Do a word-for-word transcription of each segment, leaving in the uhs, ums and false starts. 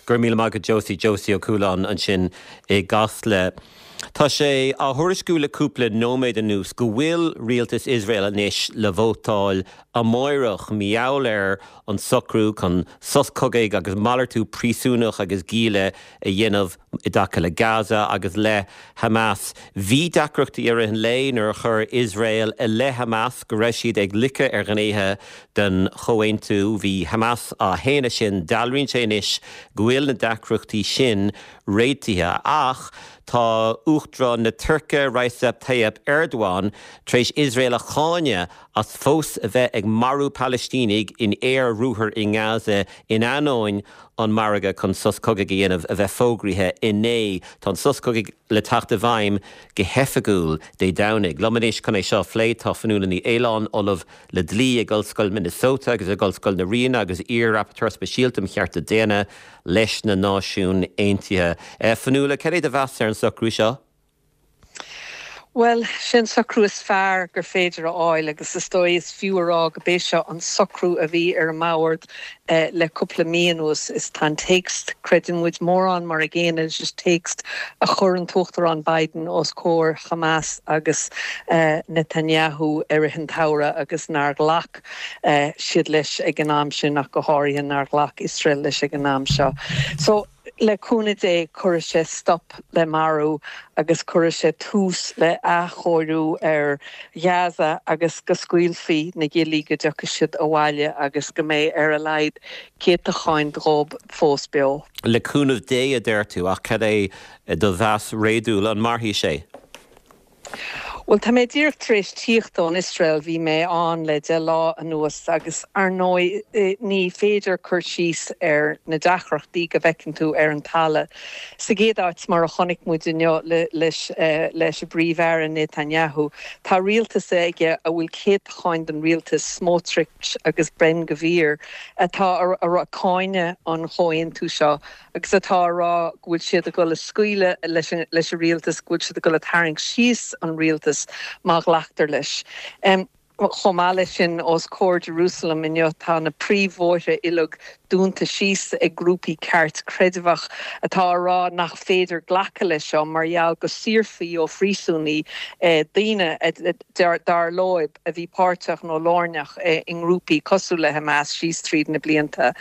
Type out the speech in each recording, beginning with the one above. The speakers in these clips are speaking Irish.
Gur míle maith agat Josie Josie Ó Cualáin ansin i gCasla. Tá sé á thuairisciú le cúpla nóiméad anuas go bhfuil rialtas Iosrael anois le vótáil amárach mar gheall ar an socrú chun sos cogaidh agus malartú príosúnach agus gialla a dhéanamh i dtaca le Gaza agus le Hamas. Bhí deacrachtaí ar an lé nuair a chuir Iosrael i leith Hamas go raibh siad ag loiceadh ar ghnéithe den chomhaontú bhí Hamas á shéanadh sin dealraíonn sé anois go bhfuil na deacrachtaí sin réitithe ach tá Uachtarán na Tuirce Recep Tayyip Erdogan tar éis Iosrael a cháineadh as fós a bheith ag marú Palaistínigh in aer-ruathar i nGaza in ainneoin an margadh chun sos cogaidh a dhéanamh a bheith fógraithe inné Tá an sos cogaidh le teacht i bhfeidhm go hoifigiúil Dé Domhnaigh. Liom anois chun é seo a phlé tá Fionnuala Ní Aoláin ollamh le dlí ag Ollscoil Minnesota agus ag Ollscoil na Ríona agus iar-rapporteur speisialta um chearta daonna leis na Náisiúin Aontaithe. Fionnuala cad é do mheas ar an socrú seo? Well sin socrú is fearr gur féidir a fháil agus is dóigh is fiú a rá gurb é seo an socrú a bhí ar an mbord eh, le cúpla mí anuas is tá an téacs creideann muid mórán mar a gcéanna is téacs a chuir an tUachtarán Biden os comhair Hamas agus eh, Netanyahu ar an tsamhradh agus nár ghlac eh, siad leis ag an am sin ach go háirithe nár ghlac Iosrael leis ag an am seo. So le cúnamh Dé cuirfidh sé stop le marú agus cuirfidh sé tús le athchóiriú ar Gaza agus go scaoilfí na giallaí go dtiocfaidh siad abhaile agus go mbeidh ar a laghad céatacháin dóibh fós beo. Le cúnamh Dé a deir tú ach cad é do mheas réadúil an mairfidh sé. Well tá mé díreach tar éis tíocht ón Iosrael bhí mé ann le deich lá anuas agus ar ndóigh ní féidir cur síos ar na deacrachtaí go bhfeiceann tú ar an talamh. Sa gcéad áit mar a chonaic muid inniu leis leis an bPríomh-Aire Netanyahu, Tá rialtas aige a bhfuil céatacháin den rialtas Smotrich agus Ben Gvir atá ag cáineadh an chomhaontú seo agus atá á rá go bhfuil siad ag dul a scaoileadh leis leis an rialtas go bhfuil siad ag dul a tharraingt síos an rialtas má ghlactar leis. Um, Chomh maith leis sin os comhair Jerusalem inniu tá na príomhbhóithre uilig dúnta síos ag grúpaí ceart creidmheach atá á rá nach féidir glacadh leis seo mar gheall go saorfaí ó phríosúnaí eh, daoine dar leo a bhí páirteach nó lárnach eh, i ngrúpaí cosúil le Hamas síos tríd na blianta.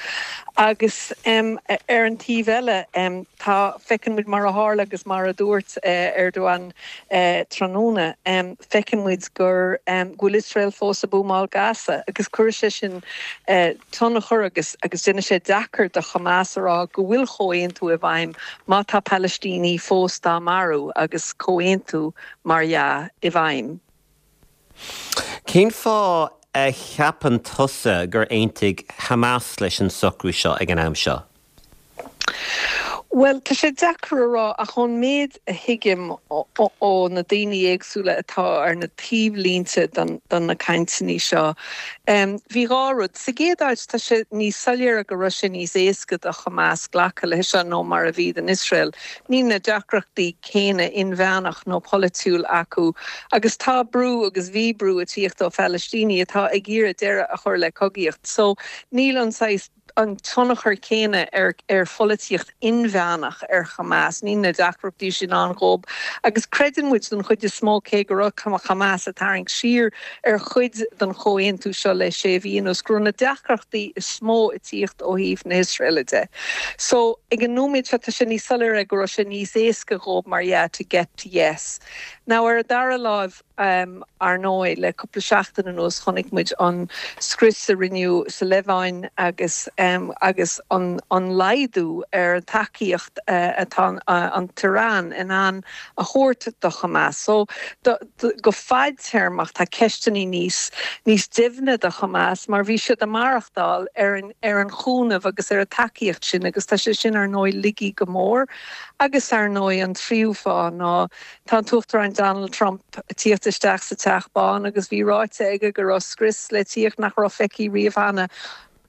Agus um, ar an taobh eile um, tá feiceann muid mar a tharla agus mar a dúirt uh, Erdogan uh, tráthnóna um, feiceann muid gur um, go bhfuil Iosrael fós ag buamáil Gaza agus chuir sé sin uh, tionchar agus agus déanann sé deacair do Hamas a rá go bhfuil comhaontú i bhfeidhm má tá Palaistínigh fós á marú agus comhaontú mar dhea i bhfeidhm. Cén fáth a cheapann tusa gur aontaigh Hamas leis an socrú seo ag an am seo? Well tá sé deacair a rá ach ón méid a thuigim ó na daoine éagsúla atá ar na taobhlínte don na cainteanna seo. Um, bhí dhá rud sa gcéad áit tá sé níos soiléire go raibh sé níos éasca do Hamas glacadh leis seo ná mar a bhí don Iosrael. Níl na deacrachtaí céanna inmheánach nó polaitiúil acu, agus tá brú agus bhí brú ag tíocht ó Phalaistínigh atá ag iarraidh deireadh a chur le cogaíocht. So níl an an tionchar céanna ar ar pholaitíocht inmheánach ar Hamas, níl na deacrachtaí sin ann dóibh, agus creideann muid don chuid is mó cé go raibh Hamas ag tarraingt siar ar chuid den chomhaontú seo le sé mhí anuas go raibh na deacrachtaí is mó ag tíocht ó thaobh na hIosraeile de. So ag an nóiméad seo tá sé níos soiléire go raibh sé níos éasca dóibh mar yeah to get to yes. Now ar an dara láimh um, ar ndóigh le cúpla seachtain anuas chonaic muid an scrios a rinneadh sa Liobáin agus um, agus an, an laghdú ar tacaíocht uh, atá uh, an tIaráin in ann a thabhairt do Hamas. So do, do, go fadtéarmach tá ceisteanna níos níos doimhne do Hamas mar bhí siad ag maireachtáil ar an, ar an chúnamh agus ar an tacaíocht sin agus tá sé sin ar ndóigh ligthe go mór agus ar ndóigh an tríú fáth ná tá Uachtarán Donald Trump tíocht isteach sa Teach Bán agus bhí ráite aige go raibh scrios le tíocht nach raibh feicthe riamh cheana.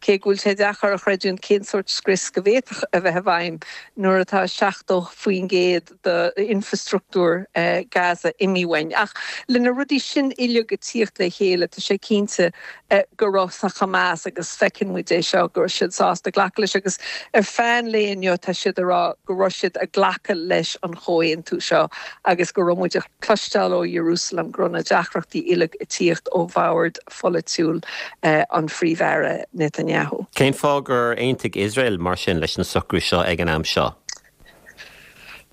Cé go bhfuil sé deacair a chreidiúint cén sórt scrios go bhféadfadh a bheith i bhfeidhm nuair atá seachtó faoin gcéad d'infrastruchtúr Gaza imithe uainn. Ach le na rudaí sin uilig ag tíocht le chéile, tá sé cinnte go raibh sa Hamas agus feiceann muid é seo go raibh siad sásta glacadh leis agus ar feadh an lae inniu tá siad ag rá go raibh siad ag glacadh leis an chomhaontú seo agus go raibh muid ag cloisteáil ó Jerusalem go raibh na deacrachtaí uilig ag tíocht ó bhord pholaitiúil an Phríomh-Aire Netanyahu. Cén fáth gur aontaigh Iosrael mar sin leis an socrú seo ag an am seo?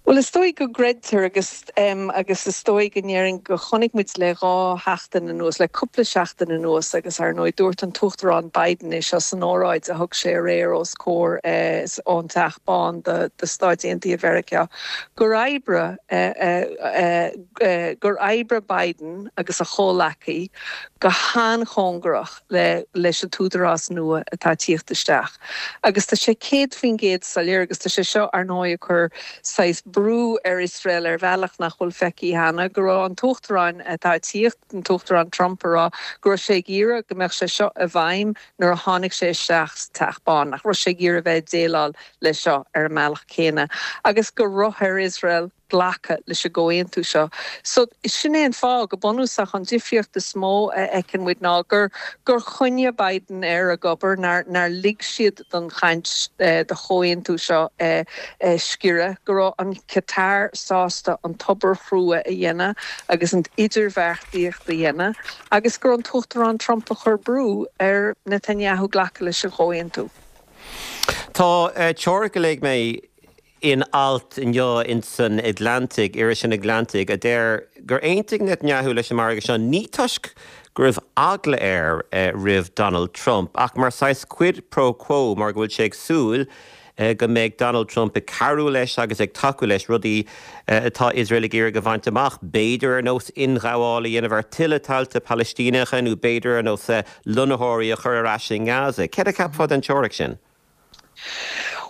Bhuel is dóigh go gcreidtear agus um, agus is dóigh go ndéarfainn go chonaic muid le dhá sheachtain anuas le cúpla seachtain anuas agus ar ndóigh dúirt an tUachtarán Biden é seo san óráid a thug sé aréir os comhair eh, ón Teach Bán de, de Stáit Aontaithe Mheiriceá gur oibrigh eh, eh, eh, gur oibrigh Biden agus a chomhleacaí go han-chóngarach le leis an t-údarás nua atá tíocht isteach. Agus tá sé céad faoin gcéad soiléir agus tá sé seo ar ndóigh ag cur saghas brú ar Iosrael ar bhealach nach bhfuil feicthe cheana go raibh an t-uachtarán atá tíocht an t-uachtarán Trump ag rá go raibh sé ag iarraidh go mbeadh sé seo i bhfeidhm nuair a tháinig sé isteach sa Teach Bán nach raibh sé ag iarraidh bheith déileáil le seo ar an mbealach céanna agus go raibh ar Iosrael glacadh leis an gcomhaontú seo. So sin é an fáth go bunúsach an difríocht is mó a fheiceann muid ná gur gur choinnigh Biden ar ag obair nár nár lig siad don chaint eh, do chomhaontú seo eh, eh, sciorradh go raibh an Qatar sásta an obair chrua a dhéanamh agus an idirbheartaíocht a dhéanamh agus gur an t-uachtarán Trump a chuir brú ar Netanyahu glacadh leis an chomhaontú. Tá uh, teoiric a léigh mé in alt inniu in san Atlantic iris an Atlantic a deir gur aontaigh Netanyahu leis an margadh seo ní toisc go raibh eagla air uh, roimh Donald Trump ach mar saghas quid pro quo mar go bhfuil sé ag súil uh, go mbeidh Donald Trump ag cabhrú leis agus ag tacú leis rudaí uh, atá Iosrael ag iarraidh a bhaint amach b'fhéidir ar nós ionghabháil a dhéanamh ar tuilleadh tailte Palaistíneacha nó b'fhéidir ar nós lonnaitheoirí a chur ar ais in Gaza. Céard a cheapfá den teoiric sin?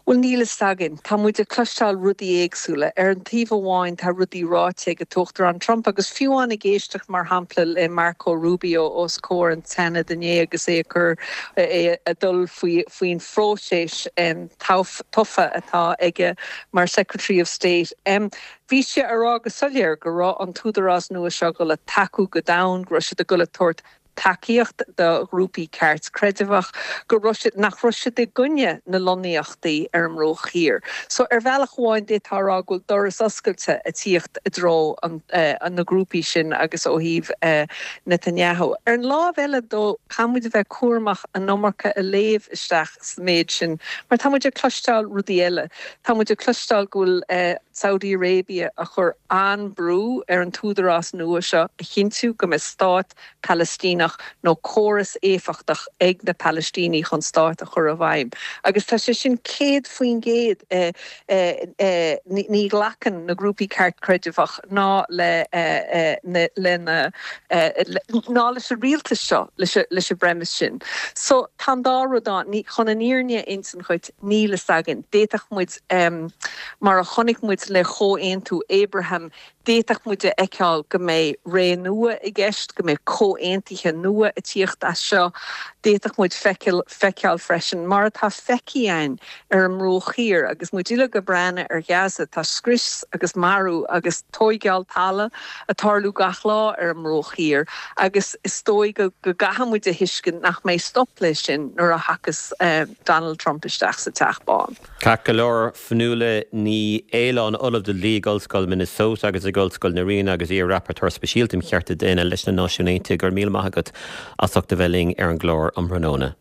Well níl a fhios againn, Tá muid ag cloisteáil rudaí éagsúla. Ar an taobh amháin tá rudaí ráite ag an t-uachtarán Trump agus fiú amháin ag éisteacht mar shampla le Marco Rubio os comhair an tSeanaid inné agus é chur é ag dul faoin phróiseas um, tofa atá aige mar Secretary of State. Um, Bhí sé ag rá go soiléir go raibh an t-údarás nua seo le tacú go domhain go raibh siad ag dul a thabhairt tacaíocht do ghrúpaí ceartchreidmheach go raibh siad nach raibh siad i gcoinne na lonnaíochtaí ar an mBruach Thiar. So ar bhealach amháin d'fhéadfá rá go bhfuil doras oscailte ag tíocht i dtreo an, uh, an na grúpaí sin agus ó thaobh uh, Netanyahu. Ar an lámh eile dó caithfidh muid a bheith cúramach an iomarca a léamh isteach sa méid sin, mar tá muid ag cloisteáil rudaí eile. Tá muid ag cloisteáil go bhfuil uh, Saudi Arabia ag cur an-bhrú ar an t-údarás nua seo a chinntiú go mbeidh stát Palaistíneach nó córas éifeachtach ag na Palaistínigh chun stát a chur i bhfeidhm. Agus tá sé sin céad faoin gcéad eh, eh, eh, ní ghlacann na grúpaí ceartchreidmheach ná le le ná leis an rialtas seo leis leis an bpremise sin. So tá dá rud ní chun an fhírinne a insint duit níl a fhios againn. D'fhéadfadh muid um, mar a chonaic muid le comhaontú Abraham d'fhéadfadh muid a fheiceáil go mbeidh ré nua i gceist go mbeidh comhaontuithe nua ag tíocht as seo d'fhéadfadh muid feiceáil feiceáil freisin mar atá feicthe againn ar an mBruach Thiar agus muid uilig ag breathnú ar Gaza tá scrios agus marú agus tógáil talaimh ag tarlú gach lá ar an mBruach Thiar agus is dóigh go go gcaithfidh muid a thuiscint nach mbeidh stop leis sin nuair a thagas uh, Donald Trump isteach sa Teach Bán. Ceart go leor Fionnuala Ní Aoláin Ollamh de Dhlí ag Ollscoil Minnesota agus ag Ollscoil na Ríona agus iar-rapporteur speisialta um chearta daonna leis na Náisiúin Aontaithe go raibh míle maith agat as ucht a bheith linn ar an gclár um thráthnóna.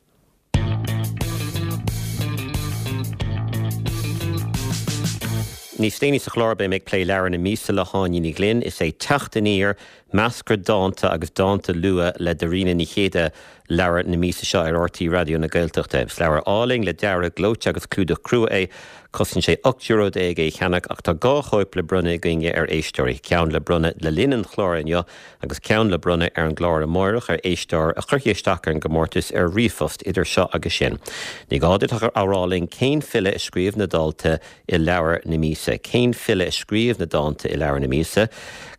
Níos déanaí sa chlár beidh mé ag plé leabhar na míosa le hÁine Ní Ghlinn is é Teacht Aniar meascra dánta agus dánta luath le Dairena Ní Chéide leabhar na míosa seo ar R T Raidió na Gaeltachta. Is leabhar álainn le dearadh gleoite agus clúdach crua é, cosnaíonn sé ocht euro déag é a cheannach ach tá dhá chóip le bronnadh againne ar éisteoirí, ceann le bronnadh le linn an chláir inniu agus ceann le bronnadh ar an gclár amárach ar éisteoir a chuirfidh isteach ar an gcomórtas ar ríomhphost idir seo agus sin. Ní gá duit ach a rá linn cén file a scríobh na dánta i leabhar na míosa. Cén file a scríobh na dánta i leabhar na míosa?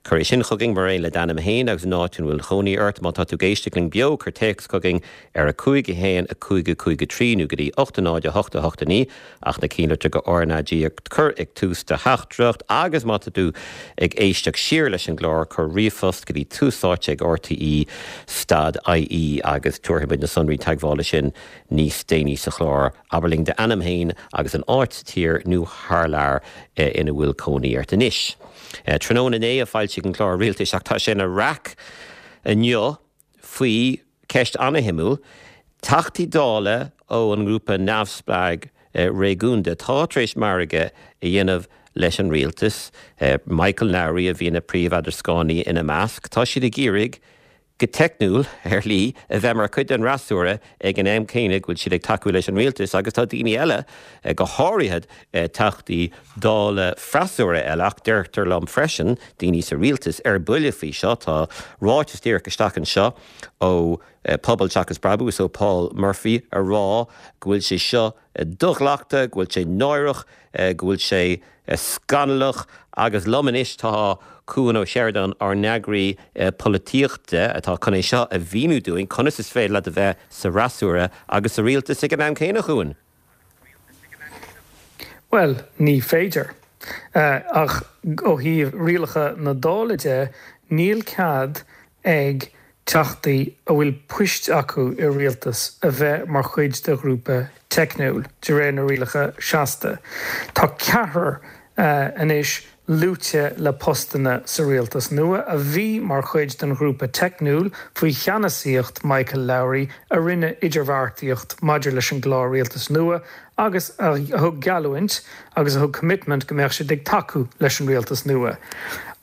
Cuir é sin chugainn mar aon le d'ainm féin agus an áit ina bhfuil cónaí ort. Má tá tú ag éisteacht linn beo, cuir téacs chugainn ar a cúig a haon a cúig a cúig a trí nó go dtí ocht a náid a hocht a hocht a naoi ach na cinnlitreacha R N A G a chur ag tús do theachtaireacht agus má tá tú ag éisteacht siar leis an gclár, cuir ríomhphost go dtí tús áite ag R T E stad I E agus tabharfaidh muid na sonraí teagmhála sin níos déanaí sa chlár. Abair linn d'ainm féin agus an áit sa tír nó thar lear ina bhfuil cónaí ort anois. Tráthnóna inné a foilsíodh an clár rialtais ach tá sé ina raic inniu faoi ceist an-shuimiúil, Teachtaí Dála ó an ngrúpa neamhspleách réigiúnda atá tar éis margadh a dhéanamh leis an rialtas, Michael Lowry a bhí ina príomh-eadrascánaí ina measc. Tá siad ag iarraidh go teicniúil, ar shlí, a bheith mar chuid den fhreasúra ag an am céanna go bhfuil siad ag tacú leis an rialtas agus tá daoine eile, go háirithe Teachtaí Dála freasúra eile ach deirtear liom freisin, daoine sa rialtas, ar buile faoi seo. Tá ráiteas díreach isteach anseo ó Pobal Seachas Brabús, ó Paul Murphy, a rá go bhfuil sé seo do-ghlactha, go bhfuil sé náireach, go bhfuil sé scannalach agus liom anois tá Cuan Ó Seireadáin, ár n-eagraí polaitíochta, atá chun é seo a mhíniú dúinn, conas is féidir leat a bheith sa fhreasúra agus sa rialtas ag an am céanna, a Chuain? Bhuel, ní féidir. Ach ó thaobh rialacha na Dála de, níl cead ag Teachtaí a bhfuil poist acu i rialtas a bheith mar chuid de ghrúpa teicniúil, de réir na rialacha seasta. Tá ceathrar anois luaite le postanna sa rialtas nua a bhí mar chuid den ghrúpa teicniúil faoi cheannasaíocht Michael Lowry a rinne idirbheartaíocht maidir leis an gclár rialtais nua agus a thug geallúint agus a thug commitment go mbeadh siad ag tacú leis an rialtas nua.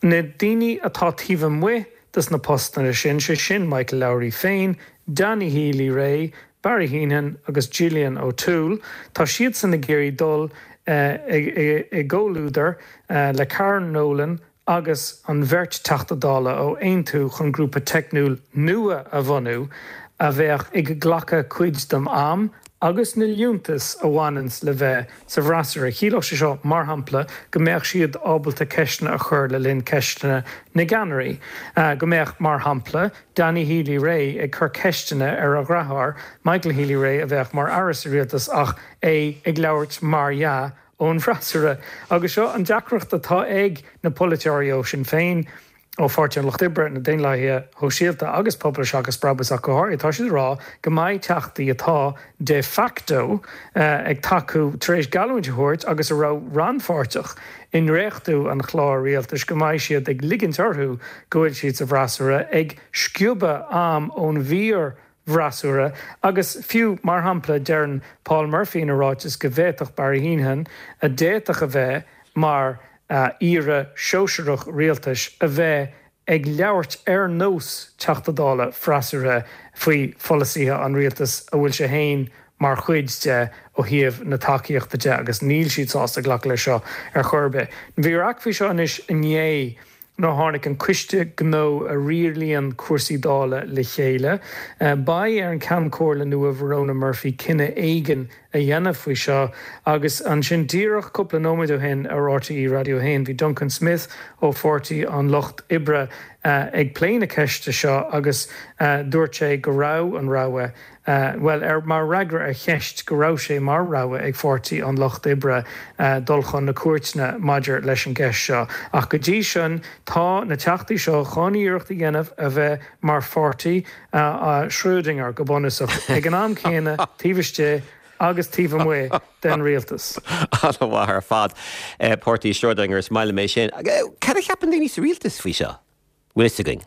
Na daoine atá taobh amuigh des na postanna sin, sé sin Michael Lowry féin, Danny Healy-Rae, Barry Heneghan agus Gillian O'Toole, tá siadsan ag iarraidh dul i gcomhluadar le Karen Nolan agus an bheirt Teachta Dála ó Aontú chun grúpa teicniúil nua a bhunú a bheadh ag glacadh cuid den am agus na liúntais a bhaineanns le bheith sa bhfreasúra. Chiallódh sé seo, mar shampla, go mbeadh siad ábalta ceisteanna a chur le linn ceisteanna na gceannairí, go mbeadh, mar shampla, Danny Healy-Rae ag cur ceisteanna ar a dheartháir, Michael Healy-Rae, a bheadh mar aire sa rialtas ach é ag labhairt, mar dhea, ón bhfreasúra. Agus seo an deacracht atá ag na polaiteoirí ó Sinn Féin, ó Pháirtí an Lucht Oibre, na Daonlathaithe Shóisialta agus Pobal Seachas Brabús ach go háirithe, tá siad ag rá go mbeidh teachtaí atá de facto ag tacú, tar éis geallúint a thabhairt agus a raibh rannpháirteach i ndréachtú an chláir rialtais, go mbeidh siad ag ligint orthu go bhfuil siad sa bhfreasúra, ag sciobadh am ón bhfíor bhfreasúra agus fiú, mar shampla, deireann Paul Murphy ina ráiteas go bhféadfadh Barry Heneghan, a d'fhéadfadh a bheith mar aire sóisearach rialtais, a bheith ag labhairt ar nós Teachta Dála freasúra faoi pholasaithe an rialtais a bhfuil sé féin mar chuid de ó thaobh na tacaíochta de agus níl siad sásta glacadh leis seo ar chor ar bith. Bhí raic faoi seo anois inné nuair a tháinig an Coiste Gnó a rialaíonn cúrsaí Dála le chéile. Beidh ar an Ceann Comhairle nua Verona Murphy cinneadh éigin a dhéanamh faoi seo agus ansin díreach cúpla nóiméad ó shin ar R T E Raidió a haon bhí Duncan Smith ó Pháirtí an Lucht Oibre ag plé na ceiste seo agus dúirt sé go raibh an rogha bhuel, ar mar fhreagra ar cheist go raibh sé mar rogha ag Pháirtí an Lucht Oibre dul chun na cúirteanna maidir leis an gceist seo. Ach go dtí sin tá na teachtaí seo chun iarracht a dhéanamh a bheith mar pháirtí Schrödinger go bunúsach ag an am céanna taobh istigh agus taobh amuigh den rialtas. An-mhaith ar fad. Páirtí Schrödinger is maith liom é sin. Cad a cheapann daoine sa rialtas faoi seo? Bhfuil fhios againn?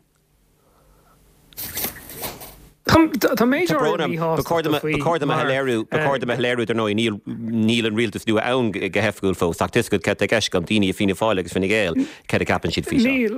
Tá méid Ba chóir dom a shoiléiriú ba chóir dom a shoiléiriú dar ndóigh níl níl an rialtas nua ann go hoifigiúil fós ach tuigim cad tá i gceist agam daoine i Fianna Fáil agus Fine Gael cad a cheapann siad faoi seo. Níl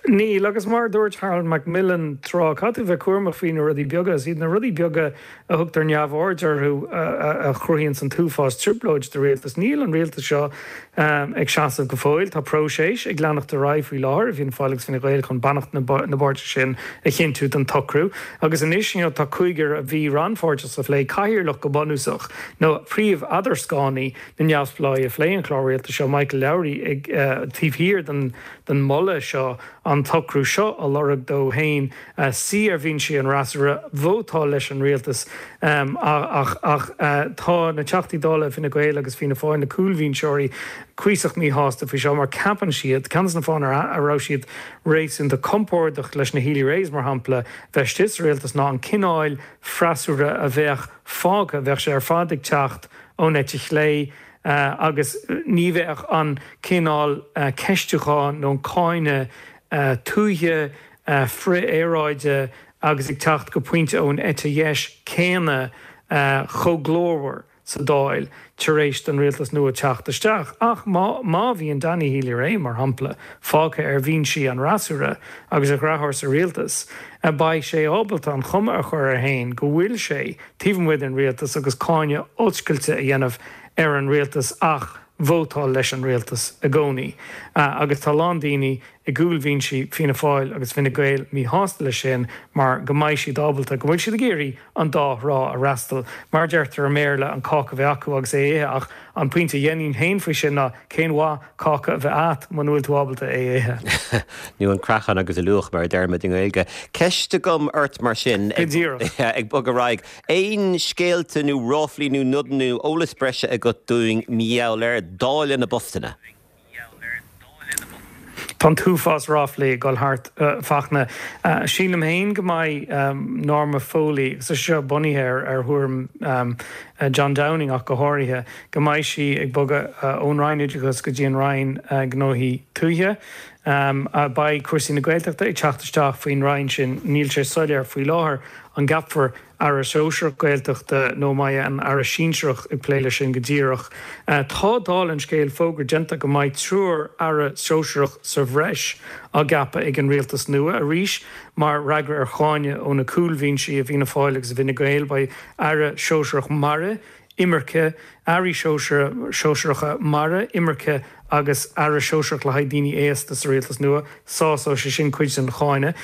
Níl, agus mar a dúirt Harold Macmillan tráth, caithfidh tú bheith cúramach faoi na rudaí beaga. Is iad na rudaí beaga a thugtar neamhaird orthu a chruthaíonns an t-uafás trioblóid do rialtas. Níl an rialtas seo ag seasamh go fóill. Tá próiseas ag leanacht ar aghaidh faoi láthair i bhFianna Fáil agus Fine Gael chun beannacht na bpáirtithe sin a chinntiú don tsocrú. Agus anois you know tá cúigear a bhí rannpháirteach sa phlé, cathaoirleach go bunúsach, nó príomh-eadarscánaí na neamhspleáigh a phléigh an clár rialtais seo, Michael Lowry, ag taobh thiar den den mholadh seo an t-socrú seo a lorg dó féin, suí ar bhinsí an fhreasúra, vótáil leis an rialtas. Ach ach tá na Teachtaí Dála Fine Gael agus Fianna Fáil, na cúlbhinseoirí, cuíosach míshásta faoi seo mar ceapann siad, ceann de na fáthanna a raibh siad réasúnta compordach leis na Healy-Raes, mar shampla, bheith istigh sa rialtas ná an cineál freasúra a bheadh fágtha, bheadh sé ar fad ag teacht ón eite chlé agus ní bheadh an cineál ceistiúcháin nó an cáineadh tuaithe, frith-aeráide agus ag teacht go pointe ón eite dheis céanna chomh glórmhar sa Dáil tar éis don rialtas nua teacht isteach. Ach má má bhíonn Danny Healy-Rae, mar shampla, fágtha ar bhinsí an fhreasúra agus a dheartháir sa rialtas, beidh sé ábalta an chuma a chur air féin go bhfuil sé taobh amuigh den rialtas agus cáineadh oscailte a dhéanamh ar an rialtas ach vótáil leis an rialtas i gcónaí. Agus tá a lán daoine i gcúlbhinsí Fianna Fáil agus Fine Gael míshásta leis sin mar go mbeidh siad ábalta, go bhfuil siad ag iarraidh an dá thrá a fhreastal. Mar a deirtear i mBéarla, an cáca a bheith acu agus é a ithe ach an pointe a dhéanfainn féin faoi sin ná cén mhaith cáca a bheith agat muna bhfuil tú ábalta é a ithe? Nó an craiceann agus a luach mar a deirimid i nGaeilge. Ceist agam ort mar sin, Go díreach. ag bogadh ar aghaidh, aon scéalta nó ráflaí nó nodanna nó eolas breise agat dúinn mar gheall ar dáileadh na bpostanna? Tá an t-uafás ráflaí ag dul thart, a Fachtna. Sílim féin go mbeidh Norma Foley, agus tá sé seo bunaithe ar thuairim John Downing ach go háirithe, go mbeidh sí ag bogadh ón Roinn Oideachais go dtí an Roinn Gnóthaí Tuaithe. Beidh cúrsaí na Gaeltachta ag teacht isteach faoin Roinn sin. Níl sé soiléir faoi láthair an gceapfar Aire Sóisearach Gaeltachta nó an mbeidh an Aire Sinsearach ag plé leis sin go díreach. Tá, dála an scéil, fógra déanta go mbeidh triúr Aire Sóisearach sa bhreis á gceapadh ag an Rialtas nua. Arís, mar fhreagra ar cháineadh ó na cúlbhinsí i bhFianna Fáil agus i bhFine Gael, beidh Aire Sóisearach Mara, Imirce, Airí Sóisearacha Mara, Imirce agus Aire Sóisearach le haghaidh Daoine Aosta sa rialtas nua. Sásóidh sé sin cuid den cháineadh.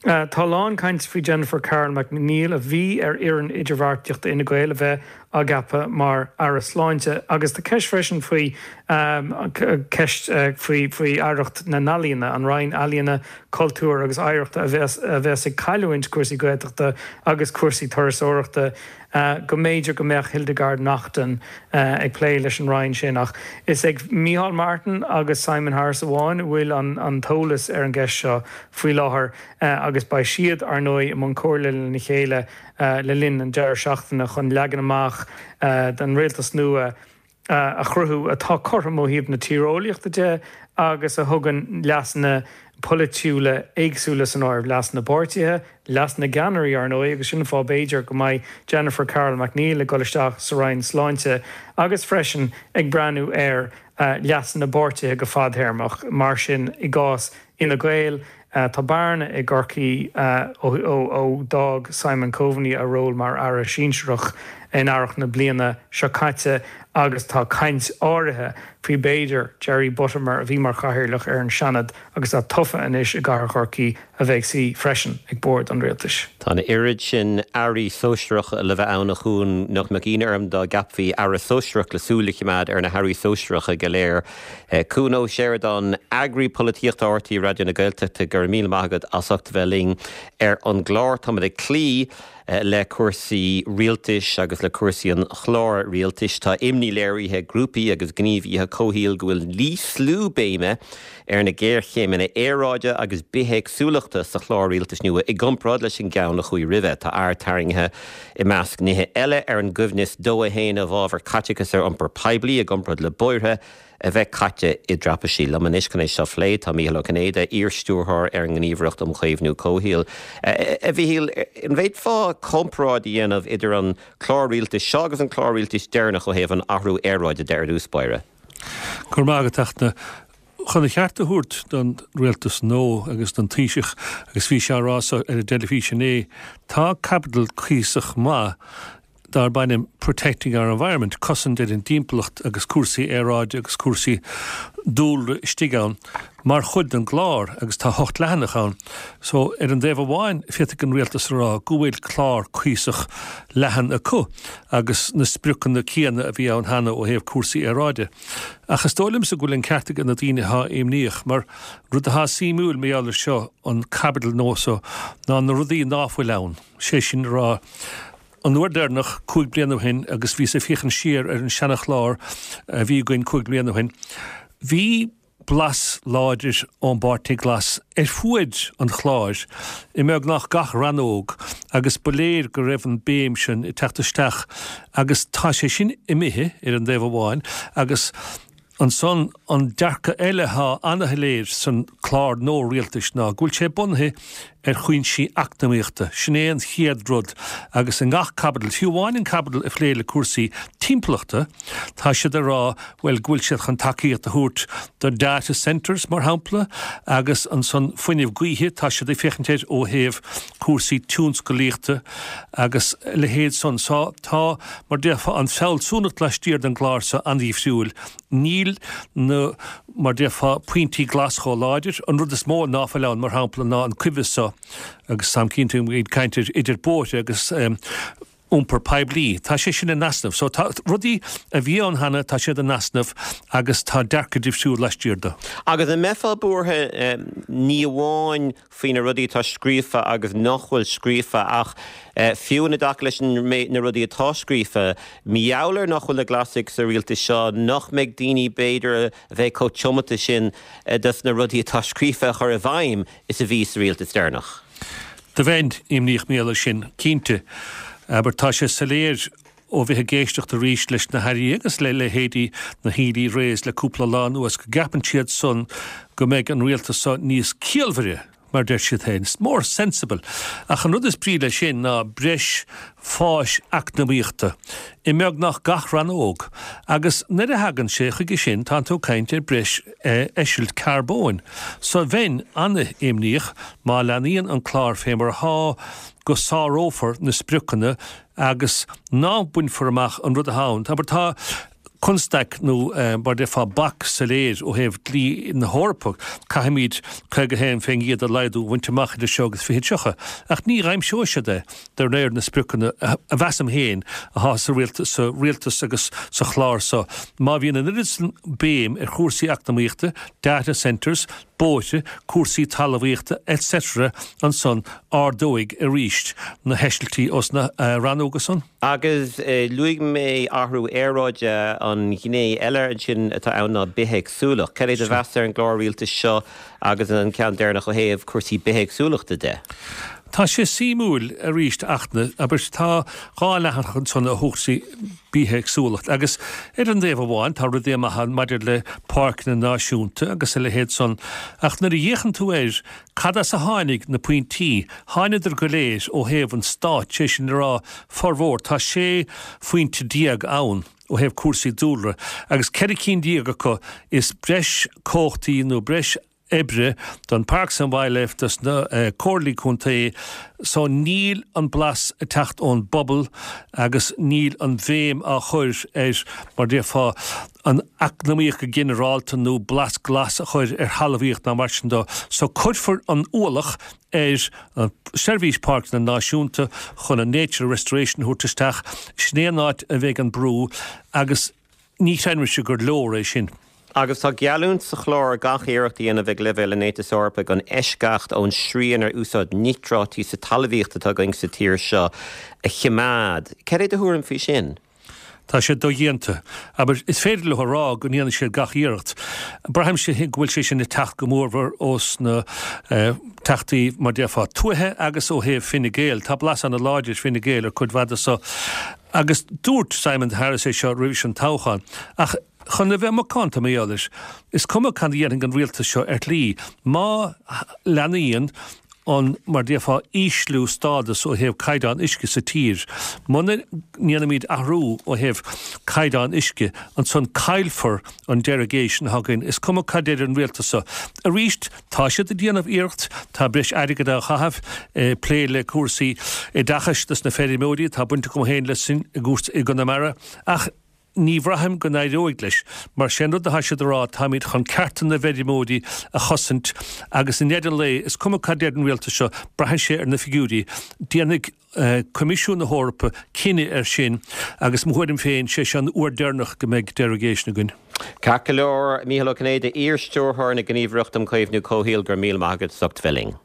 Tá a lán cainte faoi Jennifer Carroll MacNeill, a bhí ar fhoireann idirbheartaíochta Fhine Gael, a bheith á gceapadh mar Aire Sláinte agus tá ceist freisin faoi ceist faoi faoi Aireacht na nEalaíona, an Roinn Ealaíona, Cultúir agus Oidhreachta a bheas a bheas ag cailliúint cúrsaí Gaeltachta agus cúrsaí turasóireachta. Go mb'fhéidir go mbeadh Hildegarde Naughton ag plé leis an roinn sin ach is ag Micheál Martin agus Simon Harris amháin a bhfuil an t-eolas ar an gceist seo faoi láthair agus beidh siad, ar ndóigh, i mbun comhairle lena chéile le linn an deireadh seachtaine chun leagan amach den rialtas nua a chruthú atá cothrom ó thaobh na tíreolaíochta de agus a thugann leasanna polaitiúla éagsúla san áireamh, leas na bpáirtithe, leas na gceannairí, ar ndóigh, agus sin an fáth, b'fhéidir, go mbeidh Jennifer Carroll MacNeill ag dul isteach sa Roinn Sláinte agus freisin ag breathnú ar leas na bpáirtithe go fadtéarmach. Mar sin, i gcás Fhine Gael, Tá bearna i gCorcaigh ó d'fhág Simon Coveney a ról mar Aire Sinsearach in earrach na bliana seo caite agus tá caint áirithe faoi b'fhéidir Jerry Buttimer, a bhí mar chathaoirleach ar an Seanad agus atá tofa anois i gcathair Chorcaí, a bheith ag suí freisin ag bord an rialtais. Tá an oiread sin airí sóisearacha le bheith ann, a Chuain, nach mbeadh ionadh orm dá gceapfaí aire sóisearach le súil a choimeád ar na hairí sóisearacha go léir. Cuan Ó Seireadáin, Eagraí Polaitíochta RTÉ Raidió na Gaeltachta, go raibh míle maith agat as ucht a bheith linn ar an gclár. Táimid ag cloí le cúrsaí rialtais agus le cúrsaí an chláir rialtais. Tá imní léirithe ag grúpaí agus gníomhaithe comhshaoil go bhfuil ísliú béime ar na géarchéimeanna aeráide agus bithéagsúlachta sa chlár rialtais nua i gcomparáid leis an gceann a chuaigh roimhe. Tá aird tarraingthe, i measc nithe eile, ar an gcoibhneas dó a haon i bhfabhar caiteachas ar iompar poiblí i gcomparáid le bóithre a bheith caite i dtraipisí. Liom anois chun é seo a phlé tá Mícheál Ó Cinnéide, iar-stiúrthóir ar an nGníomhaireacht um Chaomhnú Comhshaoil. A Mhíchíl, an bhféadfá comparáid a dhéanamh idir an clár rialtais seo agus an clár rialtais deireanach ó thaobh an athrú aeráide de ar dtús báire? Go raibh maith agat, a Fhachtna. Chun a cheart a thabhairt don rialtas nua agus don Taoiseach agus bhí sé á rá ar an dteilifís inné, tá caibidil cuíosach maith darb ainm Protecting Our Environment, cosaint ar an dtimpeallacht agus cúrsaí aeráide agus cúrsaí dúlra istigh ann mar chuid den gclár agus tá hocht leathanach ann. So ar an dtaobh amháin féadfaidh an rialtas a rá go bhfuil clár cuíosach leathan acu agus na spriocanna céanna a bhí ann cheana ó thaobh cúrsaí aeráide. Ach is dóigh liomsa go bhfuil an ceart ag na daoine atá imníoch mar rud atá suimiúil mar gheall air seo an caibidil nua seo ná na rudaí ná fuil ann. Sé sin a rá an uair deireanach cúig bliana ó shin agus bhíos ag féachaint siar ar an seanachlár a bhí againn cúig bliana ó shin, bhí blas láidir ón bPáirtí Glas ar fuaid an chláir i mbeagnach gach rannóg agus ba léir go raibh an béim sin ag teacht isteach agus tá sé sin imithe ar an dtaobh amháin agus Ansan, an dearcadh eile atá ana-shoiléir san clár nua rialtais ná go bhfuil sé bunaithe ar chúinsí eacnamaíochta. Sin é an chéad rud agus i ngach caibidil, fiú amháin an caibidil a phlé le cúrsaí timpeallachta, tá siad ag rá, bhuel, go bhfuil siad chun tacaíocht a thabhairt do data centres, mar shampla, agus ansan fuinneamh gaoithe, tá siad ag féachaint air ó thaobh cúrsaí tionscalaíochta agus a leithéid san. So tá, mar déarfá, an fealsúnacht laistiar den gclár seo an-difriúil. Níl na, mar déarfá, pointí glas chomh láidir. An rud is mó ná fuil ann, mar shampla, ná an coimheas so, agus táim cinnte go mbeidh caint air, idir bóithre agus iompar poiblí. Tá sé sin in easnamh. So tá rudaí a bhí ann cheana, tá siad in easnamh agus tá dearcadh difriúil laistiar de. Agus an mbeifeá buartha ní amháin faoi na rudaí atá scríofa agus nach bhfuil scríofa ach fiú ina dtaca leis na rudaí atá scríofa, mar gheall ar nach bhfuil na Glasaigh sa rialtas seo, nach mbeidh daoine b'fhéidir a bheidh chomh tiomanta sin dos na rudaí atá scríofa a chur i bhfeidhm is a bhí sa rialtas deireanach? Do bheinn imníoch mar gheall air sin, cinnte. Abair, tá sé soiléir ó bheith ag éisteacht arís leis na hairí agus le leithéidí na Healy-Raes le cúpla lá anuas go gceapann siad san go mbeidh an rialtas seo níos ciallmhaire, mar deir siad féin, more sensible. Ach an rud is brí leis sin ná breis fáis eacnamaíochta i mbeagnach gach rannóg. Agus nuair a thagann sé chuige sin tánn tú ag caint ar breis eisilt carbóin. So bheinn an-imníoch má leanaíonn an clár fé mar athá go sárófar na spriocanna agus ná bainfear amach an rud atá ann. Abair, tá constaic nó mar déarfá bac soiléir ó thaobh dlí na hEorpa, caithfimid caoga a haon faoin gcéad a laghdú a bhaint amach idir seo agus fiche tríocha, ach ní aimseoidh siad é de réir na spriocanna a mheasaim féin atá sa rialtas agus sa chlár seo. Má bhíonn an oiread san béim ar chúrsaí eacnamaíochta, data centres, bóithre, cúrsaí talmhaíochta etc. Ansan ardóidh arís na heisiltí ós na rannóga san. Agus luaigh mé athrú aeráide, an ghné eile ansin atá ann ná bithéagsúlacht. Cad é do mheas ar an gclár rialtais seo agus an ceann deireanach ó thaobh cúrsaí bithéagsúlachta de? Tá sé suimiúil arís Fhachtna, abair, tá dhá leathanach ansan ó chúrsaí bithéagsúlacht agus ar an dtaobh amháin tá rudaí maithe ann maidir le páirceanna náisiúnta agus a leithéid san ach nuair a fhéachann tú air cad as a tháinig na pointí, tháinadar go léir ó thaobh an stáit, sé sin le rá formhór, tá sé phointe déag ann ó thaobh cúrsaí dúlra agus ceithre cinn déag acu is breis cumhachtaí nó breis oibre don Parks and Wildlife dos na comhairlí contae so níl an blas ag teacht ón bpobal agus níl an bhéim á chur ar mar déarfá an eacnamaíocht go ginearálta nó blas glas a chur ar thalmhaíocht ná mar sin de so cuirfear an ualach ar an Seirbhís Páirceanna Náisiúnta chun an Nature Restoration a thabhairt isteach sin é an áit a bheidh an brú agus ní chreidimse gur leor é sin. Agus tá geallúint sa chlár gach iarracht a dhéanamh ag leibhéal an Aontais Eorpaigh an eisceacht ón srian ar úsáid níotráití sa talmhaíocht atá againn sa tír seo a choimeád. Cad é do thuairim faoi sin? Tá sé dodhéanta. Abair, is féidir leo a rá go ndéanfaidh siad gach iarracht. Braithimse go bhfuil sé sin ag teacht go mórmhór ós na teachtaí, mar déarfá, tuaithe agus ó thaobh Fine Gael. Tá blas ana-láidir Fine Gael ar cuid mhaith de so. Agus dúirt Simon Harris é seo roimhis an toghchán. Ach chun a bheith macánta mar gheall air, is cuma cad a dhéanfaidh an rialtas seo ar shlí, má leanaíonn an mar déarfá ísliú stádas ó thaobh caighdeán uisce sa tír. Muna ndéanaimid athrú ó thaobh caighdeán uisce, ansan caillfear an derogation atá againn. Is cuma cad deir an rialtas seo. Arís, tá siad ag déanamh iarracht, tá breis airgid á chaitheamh, plé le cúrsaí oideachais dos na feirmeoirí, tá baint agam féin leis sin i gcúrsa i gConamara, ach ní bhraithim go n-éireoidh leis, mar sin rud atá siad a rá, táimid chun cearta na bhfeirmeoirí a chosaint agus i ndeireadh an lae, is cuma cad deir an rialtas seo, braitheann sé ar na figiúirí. Déanfaidh Coimisiún na hEorpa cinneadh air sin agus mo thuairim féin, sé seo an uair deireanach go mbeidh derogation againn. Ceart go leor, Mícheál Ó Cinnéide, iar-stiúrthóir na Gníomhaireachta um Chaomhnú Comhshaoil, go raibh míle maith agat as ucht bheith linn.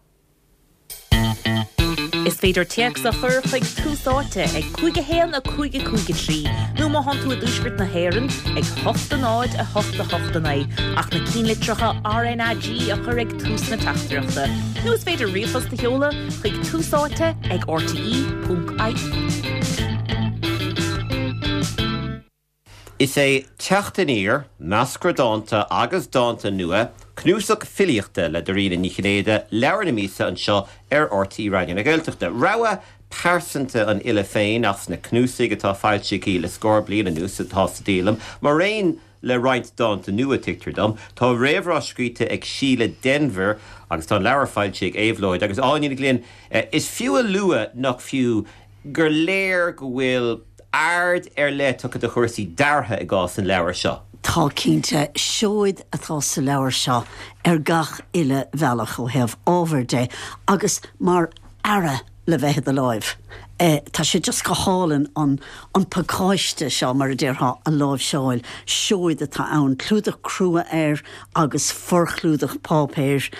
Is féidir téacs a chur chuig Tús Áite ag cúig a haon a cúig a cúig a trí nó má thánn tú i dtuaisceart na hÉireann ag hocht a náid a hocht a hocht a naoi ach na cinnlitreacha RnaG a chur ag tús na teachtaireachta. Nó is féidir ríomhphost a sheoladh chuig Tús Áite ag rte ponc ie. Is é Teacht Aniar, Meascra Dánta agus Dánta Nua, cnuasach filíochta le Dairena Ní Chinnéide, leabhar na míosa anseo ar RTÉ Raidió na Gaeltachta. Rogha pearsanta an fhile féin as na cnuasaigh atá foilsithe aici le scór bliain anuas atá sa díolaim, mar aon le roinnt dánta nua, tuigtear dom. Tá réamhrá scríte ag Síle Denvir agus tá an leabhar foilsithe ag Éabhlóid. Agus Áine Ní Ghlinn, is fiú a lua nach fiú gur léir go bhfuil aird ar leith tugtha do chúrsaí deartha i gcás an leabhair seo. Tá cinnte, seoid atá sa leabhar seo ar gach uile bhealach ó thaobh ábhair de agus mar earra le bheith i do láimh. Tá sé just go hálainn an an pacáiste seo, mar a déarfá, a láimhseáil. Seoid atá ann, clúdach crua air agus forchlúdach páipéir.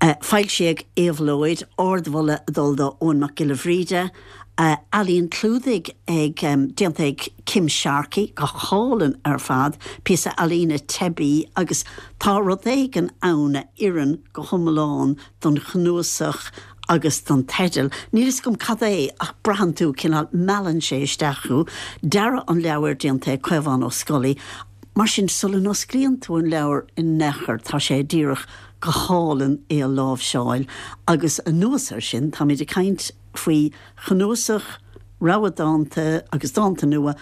Foilsithe ag Éabhlóid, ardmholadh ag dul do Eoin Mac Giolla Bhríde, ealaín clúdaigh ag déanta ag Kim Sharkey, go hálainn ar fad, píosa ealaíne teibí agus tá rud éigin ann a oireann go hiomlán don chnuasach agus don teideal. Níl fhios agam cad é ach braitheann tú cineál, meallann sé isteach thú. Dearadh an leabhair déanta ag Caomhán Ó Scolaí. Mar sin, sula n-osclaíonn tú an leabhar in aon chor, tá sé díreach go hálainn é a láimhseáil. Agus anuas air sin, táimid ag caint faoi chnuasach rogha dánta agus dánta nua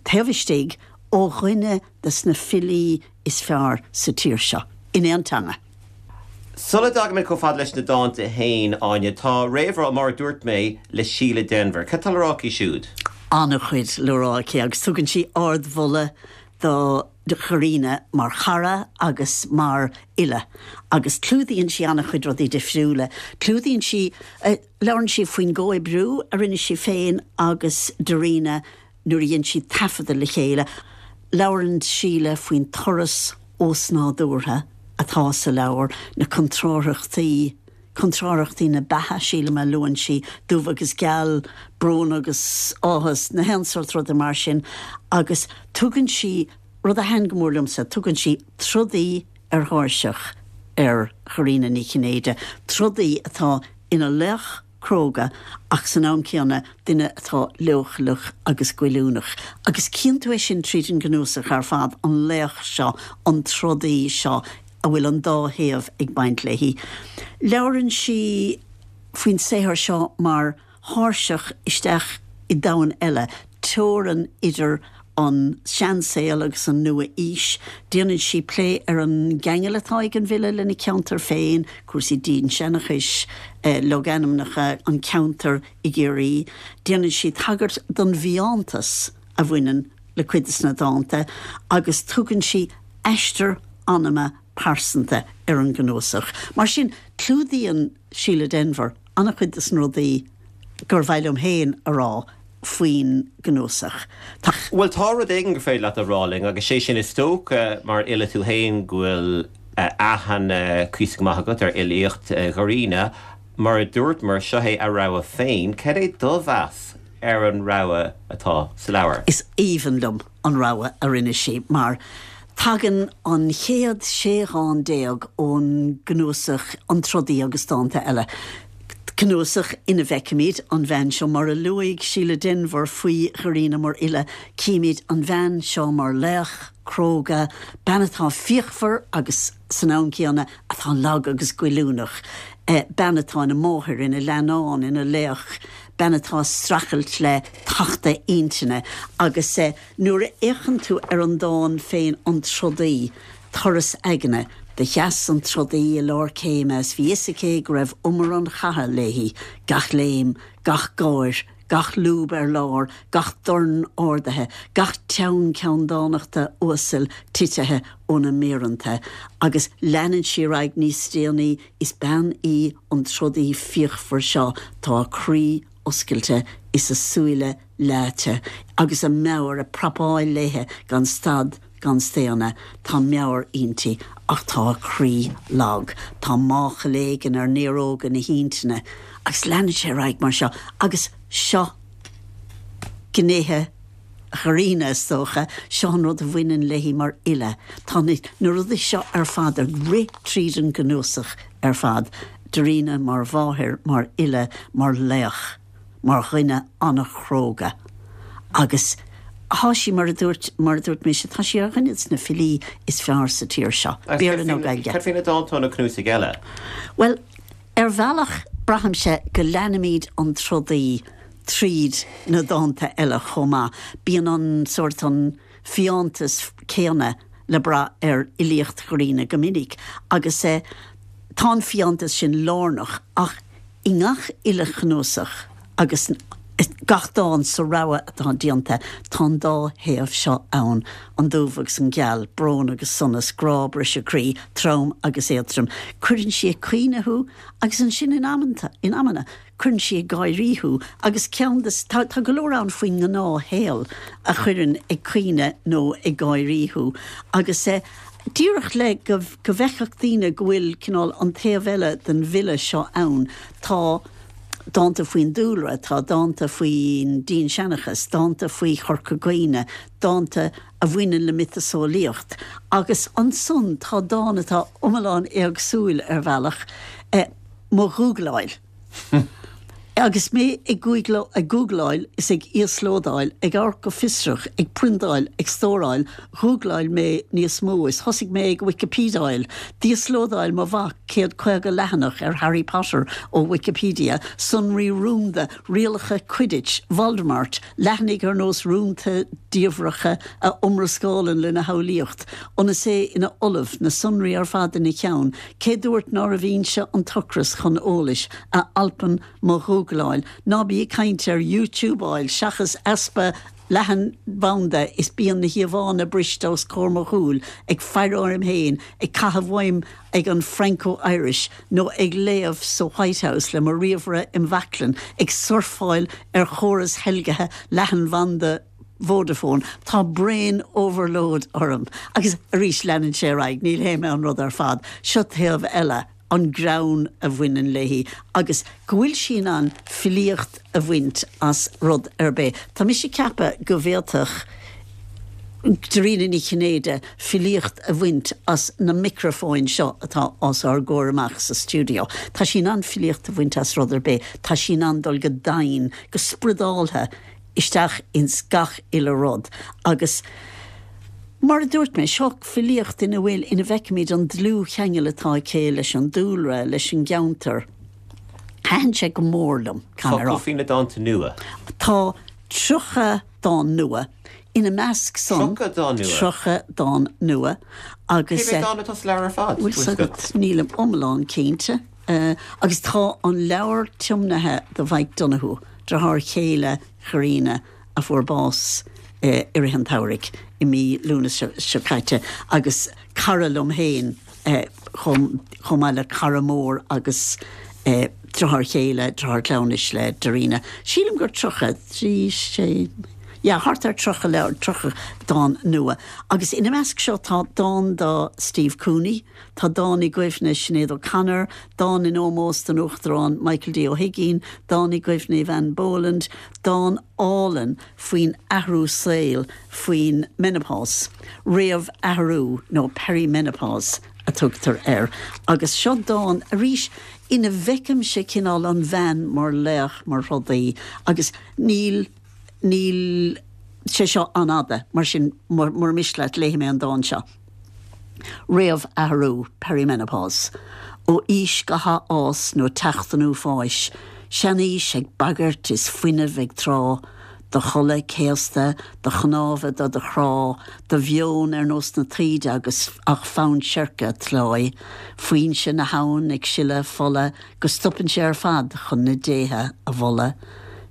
taobh istigh ó dhuine de na filí is fearr sa tír seo, in aon teanga. Sula dtagaimid chomh fada leis na dánta féin, Áine, tá réamhrá, mar a dúirt mé, le Síle Denvir. Cad tá le rá aici siúd? An-chuid le rá aici agus tugann sí ardmholadh do Dharina mar chara agus mar fhile agus clúdaíonn sí an-chuid rudaí difriúla. Clúdaíonn sí, labhrann sí faoin gcomhoibriú a rinne sí féin agus Darina nuair a dhein siad taifeadadh le chéile. Labhrann Síle faoin turas osnádúrtha atá sa leabhar, na contrárthachtaí, contrárthachtaí na beatha, sílim a luann sí, dubh agus geal, brón agus áthas, na haon sórt ruda mar sin agus tugann sí, rud a thaitin go mór liomsa, tugann sí trodaí ar thairseach ar Dharina Ní Chinnéide, trodaí atá ina laoch cróga ach san am céanna duine atá leochaileach agus goilliúnach. Agus cíonn tú é sin tríd an gcnuasach ar fad, an laoch seo, an trodaí seo a bhfuil an dá thaobh ag baint léi. Labhrann sí faoin saothar seo mar thairseach isteach i domhan eile, teorainn idir an seansaol agus an nua-aois. Déanann sí plé ar an gceangal atá ag an bhfile lena ceantar féin, cúrsaí dinnseanchais, logainmneacha, an ceantar i gCiarraí. Déanann sí tagairt don bhfiántas a bhaineann le cuid de na dánta agus tugann sí aistear anama pearsanta ar an gcnuasach. Mar sin, clúdaíonn Síle Denvir an-chuid de na rudaí gur mhaith liom féin a rá faoin gcnuasach. Tá. Bhuel, tá rud éigin gur féidir leat a rá linn, agus sé sin, is dócha, mar fhile tú féin, go bhfuil aithne cuíosach maith agat ar fhilíocht Dharina. Mar a dúramar, seo é a rogha féin. Cad é do mheas ar an rogha atá sa leabhar? Is aoibhinn liom an rogha a rinne sí, mar tagann an chéad sé dhán déag ón gcnuasach An Trodaí agus Dánta Eile, cnuasach ina bhfeicimid an bhean seo, mar a luaigh Síle Denvir faoi Dharina mar fhile, címid an bhean seo mar laoch cróga, bean atá fíochmhar agus san am céanna atá lag agus goilliúnach. Bean atá ina máthair, ina leannán, ina laoch, bean atá ag streachailt le tachtadh intinne agus nuair a fhéachann tú ar an dán féin An Trodaí, Turas Aigne, Do sheas an trodaí i lár céime is bhí fhios aici go raibh umar an chatha léi, gach léim, gach gáir, gach lúb ar lár, gach dorn ardaithe, gach teann ceanndánachta uasal titithe óna méireanta. Agus leanann sí ar aghaidh níos déanaí, is bean í an trodaí fíochmhar seo, tá a croí oscailte is a súile leáite agus a meabhair ag prapáil léithe gan stad gan staonadh. Tá meabhair inti ach tá a croí lag. Tá máchail éigin ar néaróga na hintinne agus leanann sé ar aghaidh mar seo. Agus seo gnéithe Dhairena, is dócha, seo an rud a bhaineann léi mar fhile. Tá na rudaí seo ar fad ag rith tríd an gcnuasach ar fad, Darina mar mháthair, mar fhile, mar laoch, mar dhuine an-chróga. Agus tá sí, mar a dúirt, mar a dúirt mise, tá sí ar dhuine de na filí is fearr sa tír seo, Béarla nó Gaeilge. Cad faoi na dánta ó na cnuasaigh eile? Bhuel, ar bhealach, braithimse go leanaimid an trodaí tríd na dánta eile chomh maith. Bíonn an sórt, an fiántas céanna le brath ar fhilíocht Dhairena go minic agus tá an fiántas sin lárnach ach i ngach uile chnuasach agus gach dán sa rogha atá déanta tá an dá thaobh seo ann, an dubh agus an geal, brón agus sonas, grá, briseadh croí, trom agus éadtrom. Cuireann sí ag caoineadh thú agus ansin in amanta, in amanna, cuireann sí ag gáirí thú agus ceann de, tá, tá go leor ann faoin ngnáthshaol a chuireann ag caoineadh nó ag gáirí thú agus eh, díreach le go, go bhfeicfeadh daoine go bhfuil cineál an taobh eile den bhfile seo ann, tá dánta faoin dúlra, tá dánta faoin dinnseanchas, dánta faoi Chorca Dhuibhne, dánta a bhaineann le miotaseolaíocht agus ansan tá dán atá iomlán éagsúil ar bhealach, eh, Mo Ghúgláil. Agus mé ag gúgláil is ag íoslódáil, ag amharc go fiosrach, ag priontáil, ag stóráil, ghúgláil mé níos mó is thosaigh mé ag Wikipediáil. D'íoslódáil mo mhac céad caoga leathanach ar Harry Potter ó Wikipedia, sonraí rúnda, rialacha Quidditch, Voldemort, leathanaigh ar nós rúnta diamhracha a iomrascálann lena shamhlaíocht, ionas é ina ollamh, na sonraí ar fad ina cheann. Cé dúirt nárbh fhoinse an t-ocras chun eolais, a alpann mo Ghúgláil? Ná bí ag caint ar YouTubeáil seachas easpa leathanbhanda is bíonn na híomhánna briste os comhair mo shúl, ag faire orm féin, ag caitheamh uaim ag an Franco-Irish nó ag léamh sa White House le mo ríomhaire im bhaclainn, ag surfáil ar chóras theilgthe leathanbhanda Vodafone. Tá brain overload orm. Agus arís leanann sé ar aghaidh, níl hé mé an rud ar fad. Seo taobh eile. an greann a bhaineann léi agus go bhfuil sí in ann filíocht a bhaint as rud ar bith. Tá mise ag ceapadh go bhféadfadh Dairena Ní Chinnéide filíocht a bhaint as na micreafóin seo atá os ár gcomhair amach sa stiúideo. Tá sí in ann filíocht a bhaint as rud ar bith. Tá sí in ann dul go domhain, go spioradálta isteach ins gach uile rud agus mar a dúirt mé, seo filíocht ina bhfuil, ina bhfeicimid an dlúthcheangal atá aici leis an dúlra, leis an gceantar. Thaitin sé go mór liom, caithfidh mé a rá. Focal faoi na dánta nua. Tá tríocha dán nua, ina measc san. Tríocha dán nua? Tríocha dán nua agus. Cé mhéad dán atá sa leabhar ar fad? Bhfuil 's agat, nílim iomlán cinnte. Agus tá an leabhar tiomnaithe do Mhike Donoghue, deartháir chéile Dhairena a fuair bás i rith an tsamhraidh i mí Lúnasa seo caite agus cara liom féin chomh maith le cara mór agus deartháir chéile, deartháir cleamhnais le Darina. Sílim gur tríocha, trí, sé, yeah, thart ar tríocha leabhar, tríocha dán nua. Agus ina measc seo tá dán do Steve Cooney, tá dán i gcuimhne Sinéad O'Connor, dán in ómós don Uachtarán Michael D Ó hUigínn, dán i gcuimhne Eavan Boland, dán álainn faoin athrú saoil, faoin menopause, réamh-athrú nó perimenopause a tugtar air. Agus seo dán, arís, ina bhfeicimse cineál an bhean mar laoch, mar throdaí, agus níl, níl sé seo an-fhada, mar sin, mura miste leat, léifidh mé an dán seo. Réamhathrú, perimenopause. Ó aois go hathfhás nó teacht an uafáis, seanaois ag bagairt is fuinneamh ag trá, do chulaith céasta, do chnámha do do chrá, do mheon ar nós na taoide agus ach fonn seirce tláith, foinse na habhann ag sileadh fola go stopann sé ar fad chun na déithe a mholadh.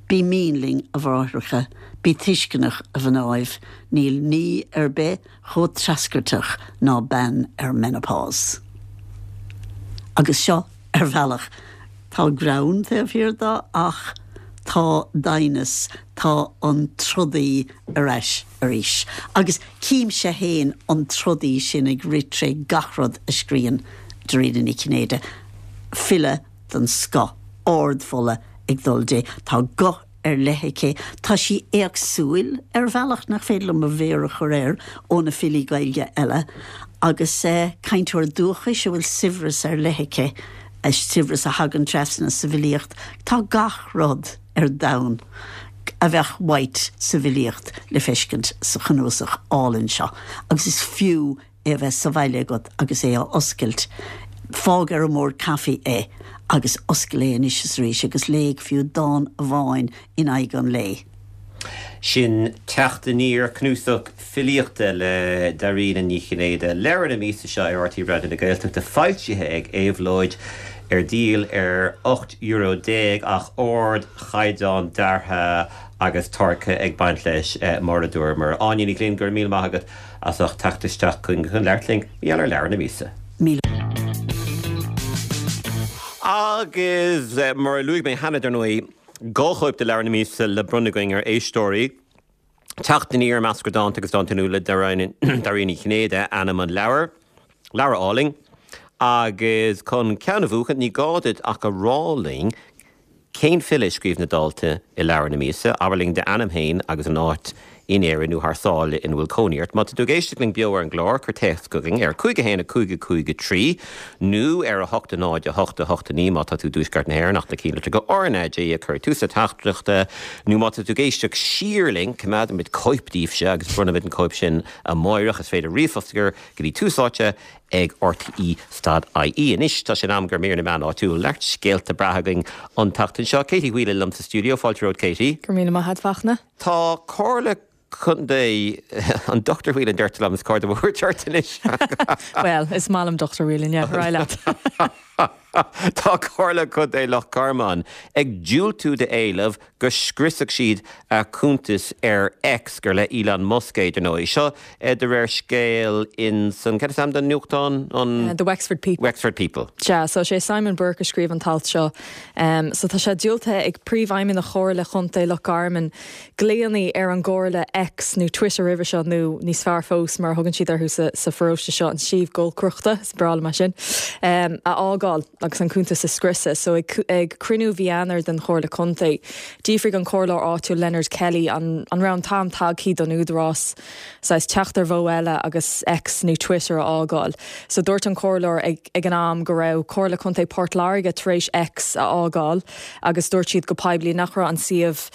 Bí mín linn, a bhráithreacha, bí tuisceanach, a mhnáibh, níl ní ar bith chomh treascairteach ná bean ar menopause. Agus seo ar bhealach tá greann taobh thiar de ach tá doimhneas, tá an trodaí ar ais arís. Agus címse féin an trodaí sin ag rith tré gach rud a scríonn Dairena Ní Chinnéide. File den scoth, ardmholadh ag dul di. Tá guth ar leith aici. Tá sí éagsúil ar bhealach nach féidir liom mo mhéar a chur air ó na filí Gaeilge eile agus cainteoir dúchais a bhfuil saibhreas ar leith aici, saibhreas a thagann trasna sa bhfilíocht. Tá gach rud ar domhan a bheadh uait sa bhfilíocht le feiscint sa chnuasach álainn seo agus is fiú é a bheith sa bhaile agat agus é a oscailt. Fág ar an mbord caife é agus oscail é anois is arís agus léigh fiú dán amháin in aghaidh an lae. Sin Teacht Aniar, cnuasach filíochta le Dairena Ní Chinnéide, leabhar na míosa seo ar R T Raidió na Gaeltachta, foilsithe ag Éabhlóid, ar díol ar ocht euro déag ach ardchaighdeán deartha agus táirgthe ag baint leis mar a dúramar. Áine Ní Ghlinn, go raibh míle maith agat as ucht teacht isteach chugainn chun labhairt linn mar gheall ar leabhar na míosa. Míle. Agus mar a luaigh mé cheana dar ndóigh, dhá chóip de leabhar na míosa le bronnadh againn ar éisteoirí. Teacht Aniar, Meascra Dánta agus Dánta Nua le Dairena Ní Chinnéide ainm an leabhair. Leabhar álainn. Agus chun ceann a bhuachan, ní gá duit ach a rá linn cén file a scríobh na dánta i leabhar na míosa, abair linn d'ainm féin agus an áit in Éirinn nó thar sáile ina bhfuil cónaí ort. Má tá tú ag éisteacht linn beo ar an gclár, cuir téacs chugainn ar cúig a haon a cúig a cúig a trí nó ar a hocht a náid a hocht a hocht a naoi má tá tú i dtuaisceart na hÉireann ach na cinnlitreacha R N A G a chur ag tús na teachtaireachta nó má tá tú ag éisteacht siar linn, coimeádfaimid cóip daoibhse agus bronnfaimid an cóip sin amáireach. Is féidir ríomhphost a chur go dtí Tús Áite ag R T E stad I E. Anois tá sé in am do mhír na meán áitiúil. Neart scéalta breátha againn an tseachtain seo. Katie Whelan liom sa stiúideo. Fáilte romhat, Katie. Go raibh míle maith agat, Fachtna. Tá Comhairle Contae an Dochtúir Whelan deirtear liom is cóir dom a thabhairt ort anois. Well, is maith liom Dochtúir Whelan, yeah, ar aghaidh leat. Tá Comhairle Contae Loch Garman ag diúltú d'éileamh go scriosfadh siad a cuntas ar X gur le Elon Musk é dar ndóigh. Seo de réir scéil in san cad is ainm don nuachtán an The Wexford People. Wexford People. Sea, so sé Simon Burke a scríobh an t-alt seo. Um, so tá sé diúltaithe ag príomhfheidhmeannach Chomhairle Chontae Loch Garman glaonna ar an gComhairle X nó Twitter roimhe seo nó níos fearr fós mar a thugann siad orthu sa, sa pharóiste seo an suíomh giolcaireachta, is breá liom é sin, um, a fhágáil agus an cuntas a scriosadh. So ag, ag cruinniú mhí Eanáir den Chomhairle Contae, d'fhiafraigh an comhairleoir áitiúil Leonard Kelly an, an raibh an t-am tagtha don údarás saghas teacht ar mhodh eile agus X nó Twitter a fhágáil. So dúirt an comhairleoir ag, ag an am go raibh Comhairle Contae Port Láirge tar éis X a fhágáil agus dúirt siad go poiblí nach raibh an suíomh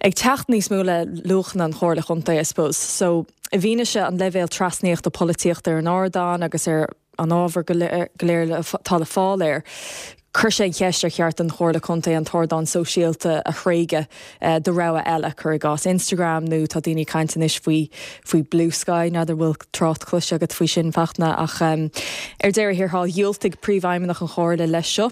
ag teacht níos mó le luachanna an Chomhairle Chontae, I suppose. So i bhfianaise an leibhéal trasnaíochta polaitíochta ar an ardán agus ar an ábhar go léir, go léir le, tá le fáil air, chuir sé an cheist ar cheart don Chomhairle Contae an t-ardán sóisialta a thréigean do rogha eile, cuir i gcás Instagram nó tá daoine ag caint anois faoi, faoi Blue Sky, n'fheadar bhfuil trácht cloiste agat faoi sin Fachtna, ach um, ar deireadh thiar thall dhiúltaigh príomhfheidhmeannach an Chomhairle leis seo.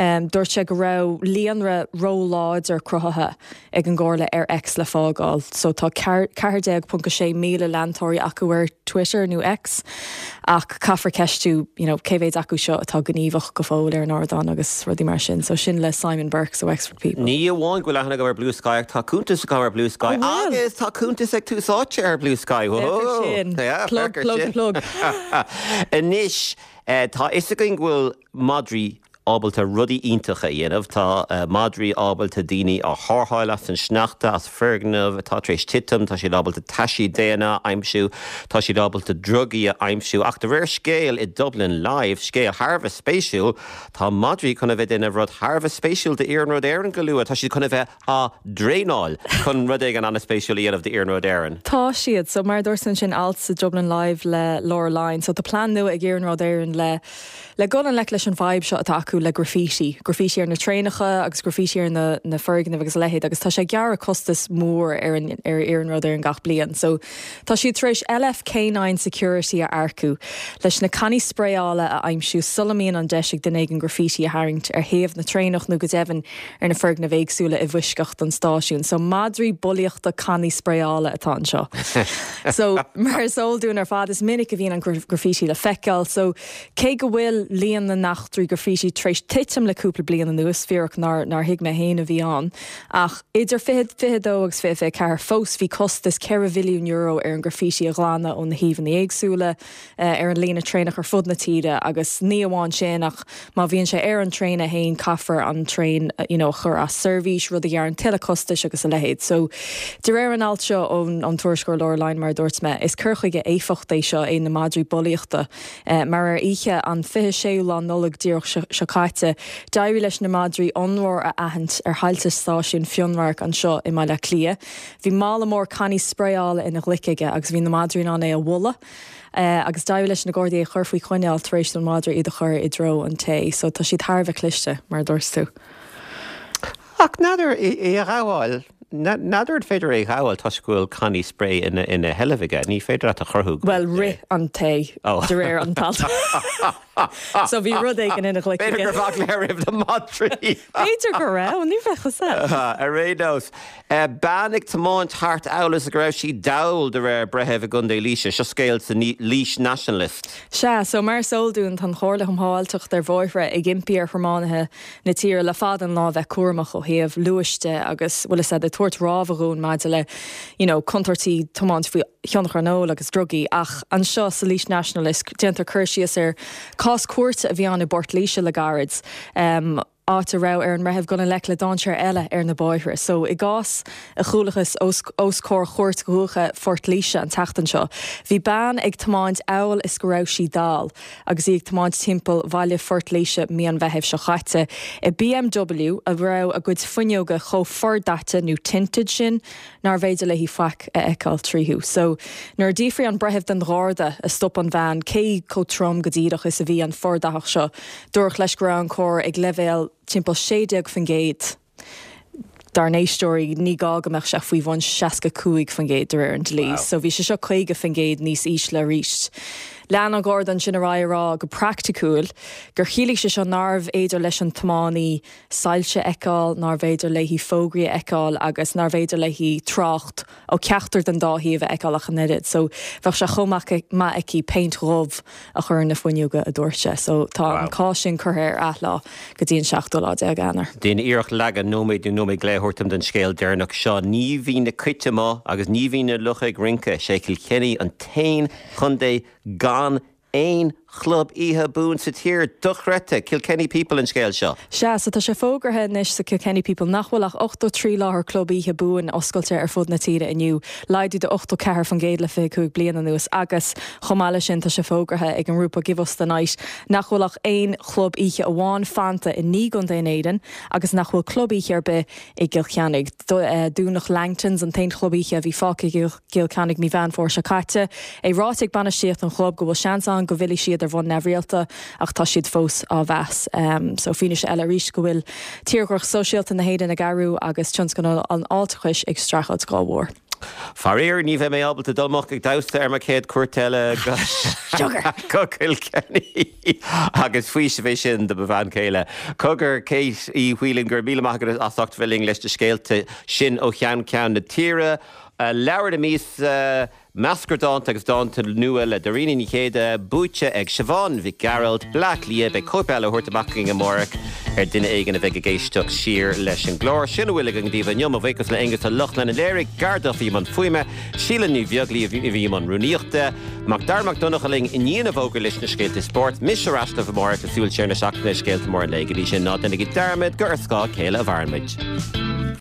Um, dúirt sé go raibh líonra róláidir cruthaithe ag an gComhairle ar X le fágáil. So tá ceathair déag ponc a sé míle leantóirí acu ar Twitter nó X, ach caithfear ceistiú you know, cé mhéad acu seo atá gníomhach go fóill ar an ardán agus rudaí mar sin. So sin le Simon Burke sa Wexford People. Ní amháin go bhfuil aithne agam ar Blue Sky, ach tá cuntas agam ar Blue Sky. An bhfuil? Agus tá cuntas ag Tús Áite ar Blue Sky. Féach ar sin. Yeah, Plug, féach ar plug, sin. plug. Anois, eh, tá fhios againn go bhfuil madraí ábalta rudaí iontacha a dhéanamh, tá madraí ábalta daoine a tharrtháil as an sneachta, as foirgneamh atá tar éis titim, tá siad ábalta taisí daonna a aimsiú, tá siad ábalta drugaí a aimsiú, ach de réir scéil i Dublin Live, scéal thar a bheith spéisiúil, tá madraí chun a bheith ag déanamh rud thar a bheith spéisiúil d'Iarnród Éireann go luath, tá siad chun a bheith á dtraenáil chun rud éigin an-spéisiúil a dhéanamh d'Iarnród Éireann. Tá siad, so mar a dúirt ansin alt sa Dublin Live le Laura Lyons, so tá plean nua ag Iarnród Éireann le le dul i ngleic leis an bhfadhb seo atá acu le graffiti, graffiti ar na traenacha agus graffiti ar na, na foirgnimh agus a leithéid agus tá sé ag gearradh costas mór ar an ar Iarnród Éireann gach bliain. So tá siad tar éis LF Canine Security a earcú leis na cannaí spraeála a aimsiú sula mbíonn an deis ag duine éigin graffiti a tharraingt ar thaobh na traenach nó go deimhin ar na foirgnimh éagsúla i bhfoisceacht don stáisiún. So madraí bulaíochta cannaí spraeála atá anseo. So mar is eol dúinn ar fad is minic a bhíonn an graffiti le feiceáil, so cé go bhfuil líon na n-eachtraí graffiti tar éis titim le cúpla bliain anuas, fíric nár nár thuig mé féin a bhí ann, ach idir fiche fiche dó agus fiche fiche ceathair fós bhí costas ceithre mhilliún euro ar an graffiti a ghlanadh ó na shuíomhanna éagsúla ar an líne traenach ar fud na tíre agus ní amháin sin ach má bhíonn sé ar an traein é féin caithfear an traein you know, a chur as seirbhís, rud a ghearrann tuilleadh costais agus a leithéid. So de réir an alt seo ón ón tuairisceoir Laura Lyons mar a dúirt mé, is cur chuige éifeachtach é seo é na madraí bulaíochta mar ar oíche an fiche séú lá Nollag díreach seo caite, d'éirigh leis na madraí ionróir a aithint ar thailte stáisiún Fionnradharc anseo i mBaile Átha Cliath. Bhí mála mór cannaí spraeála ina ghlaic aige agus bhí na madraí in ann é a bhualadh. Agus d'éirigh leis na Gardaí é a chur faoi choinneáil tar éis don mhadra iad a chur i dtreo an té. So tá siad thar a bheith cliste, mar a dúirt tú. Ach n'fheadar é a ghabháil, n'fheadar an féidir é a ghabháil toisc go bhfuil cannaí sprae ina ina sheilbh aige. Ní féidir leat a chruthú go Bhuel, rith an té de réir an t-alt. So bhí rud éigin ina ghlaic aige. B'fhéidir go raibh eagla air roimh na madraí. B'fhéidir go raibh, ní bheadh fhios agat. Ar aon nós, bean ag tiomáint thart amhail is go raibh sí dall de réir breithimh i gContae Laoise. Seo scéal sa Laois Nationalist. Sea, so mar is eol dúinn, tá an Chomhairle um Shábháilteacht ar Bhóithre ag impí ar thiománaithe na tíre le fada an lá bheith cúramach ó thaobh luais de agus bhfuil fhios a'd ag tabhairt rabhadh dhúinn maidir le you know contúirtí tiomáint faoi thionchar an óil agus drugaí ach anseo sa Laois Nationalist déantar cur síos ar cás cúirte a bhí ann i bPort Laoise le gairid um, áit a raibh ar an mbreitheamh dul i ngleic le dainséar eile ar na bóithre. So i gcás a chualathas os, os comhair Chúirt Dhúiche Phort Laoise an tseachtain seo, bhí bean ag tiomáint amhail is go raibh sí dall agus í ag tiomáint timpeall bhaile Phort Laoise mí an Mheithimh seo chaite i BMW a raibh a gcuid fuinneoga chomh fordaite nó tinted sin nárbh fhéidir léi faic a fheiceáil tríothu. So nuair a d'fhiafraigh an breitheamh den gharda a stop an bhean cé chomh trom go díreach is a bhí an fordathach seo, dúradh leis go raibh an carr ag leibhéal timpeall sé déag faoin gcéad. Dár n-éisteoirí, ní gá go mbeadh sé faoi bhun seasca cúig faoin gcéad de réir an dlí. So bhí sé seo caoga faoin gcéad níos ísle arís. Lean an Garda ansin ar aghaidh a rá go praiticiúil gur chiallaigh sé seo nárbh fhéidir leis an tiománaí soilse a fheiceáil, nárbh fhéidir léi fógraí a fheiceáil agus nárbh fhéidir léi trácht ó cheachtar den dá thaobh a fheiceáil ach an oiread. So bheadh sé chomh maith aici péint dhubh a chur ar na fuinneoga, a dúirt sé. So tá an cás sin curtha ar athlá go dtí an seachtú lá déag Eanáir. Déan iarracht leagan nóiméad nó nóiméad go leith a thabhairt dom den scéal deireanach seo. Ní bhíonn na cait amuigh agus ní bhíonn na lucha ag rince. Sé Cill Chainnigh an t-aon chontae gan aon chlub oíche buan sa tír. Dochreidte! Kilkenny People an scéal seo. Sea, so tá sé fógartha anois sa Kilkenny People nach bhfuil ach ochtó trí láthair club oíche buan oscailte ar fud na tíre inniu, laghdú de ochtó ceathair faoin gcéad le fiche cúig bliain anuas agus chomh maith leis sin tá sé fógartha ag an ngrúpa Give Us The Night nach bhfuil ach aon chlub oíche amháin fanta i naoi gcontae in Éirinn agus nach bhfuil club oíche ar bith i gCill Chainnigh. Dúnadh Langtons, an t-aon chlub oíche a bhí fágtha i gCill Chainnigh mí Mheán Fómhair seo caite. É ráite ag bainistíocht an chlub go bhfuil seans ann go bhfillfidh siad ar bhonn neamhrialta ach tá siad fós á mheas. So fianaise eile arís go bhfuil tírdhreach sóisialta na hÉireann ag athrú agus tionscal an fháilteachais ag streachailt dhá bharr. Faraor, ní bheidh mé ábalta dul amach ag damhsa ar mo chéad cuairt eile go Cill Chainnigh agus faoiseamh é sin do mo bhean chéile. Cogar, Kate Uí Mhaoileoin, go raibh míle maith agat as ucht bheith linn leis na scéalta sin ó cheann ceann na tíre. Leabhar na míosa. Meascra dánta agus dánta nua le Dairena Ní Chéide buaite ag Siobhán Mhic Gearailt, Bleá Cliath, beidh cóip eile á thabhairt amach againn amárach ar duine éigin a bheidh ag éisteacht siar leis an gclár. Sin a bhfuil againn daoibh inniu, mo bhuíochas le Aonghus Ó Lochlainn a léirigh, Garda bhí i mbun fuaime, Síle Ní Bheaglaoí a bhí i mbun rúnaíochta, Mac Dara Mac Donncha linn i ndiaidh an bhfógra leis na scéalta spóirt, mise ar ais libh amárach le súil siar na seachtaine scéalta móra an lae go dtí sin ná déanaigí dearmad gur ar scáth a chéile a mhaireann muid.